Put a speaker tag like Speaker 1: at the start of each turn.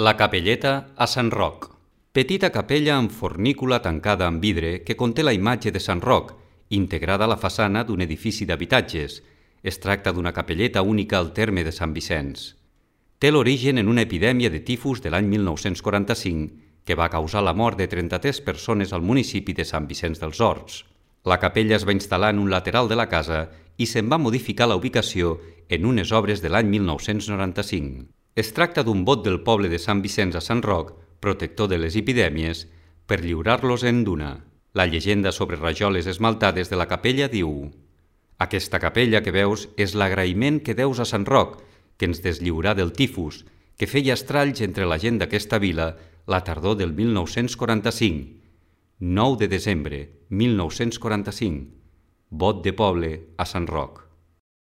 Speaker 1: La capelleta a Sant Roc. Petita capella amb fornícula tancada amb vidre que conté la imatge de Sant Roc, integrada a la façana d'un edifici d'habitatges. Es tracta d'una capelleta única al terme de Sant Vicenç. Té l'origen en una epidèmia de tifus de l'any 1945 que va causar la mort de 33 persones al municipi de Sant Vicenç dels Horts. La capella es va instal·lar en un lateral de la casa i se'n va modificar la ubicació en unes obres de l'any 1995. Es tracta d'un vot del poble de Sant Vicenç a Sant Roc, protector de les epidèmies, per lliurar-los en duna. La llegenda sobre rajoles esmaltades de la capella diu: «Aquesta capella que veus és l'agraïment que deus a Sant Roc, que ens deslliurà del tifus, que feia estralls entre la gent d'aquesta vila la tardor del 1945. 9 de desembre 1945. Vot de poble a Sant Roc».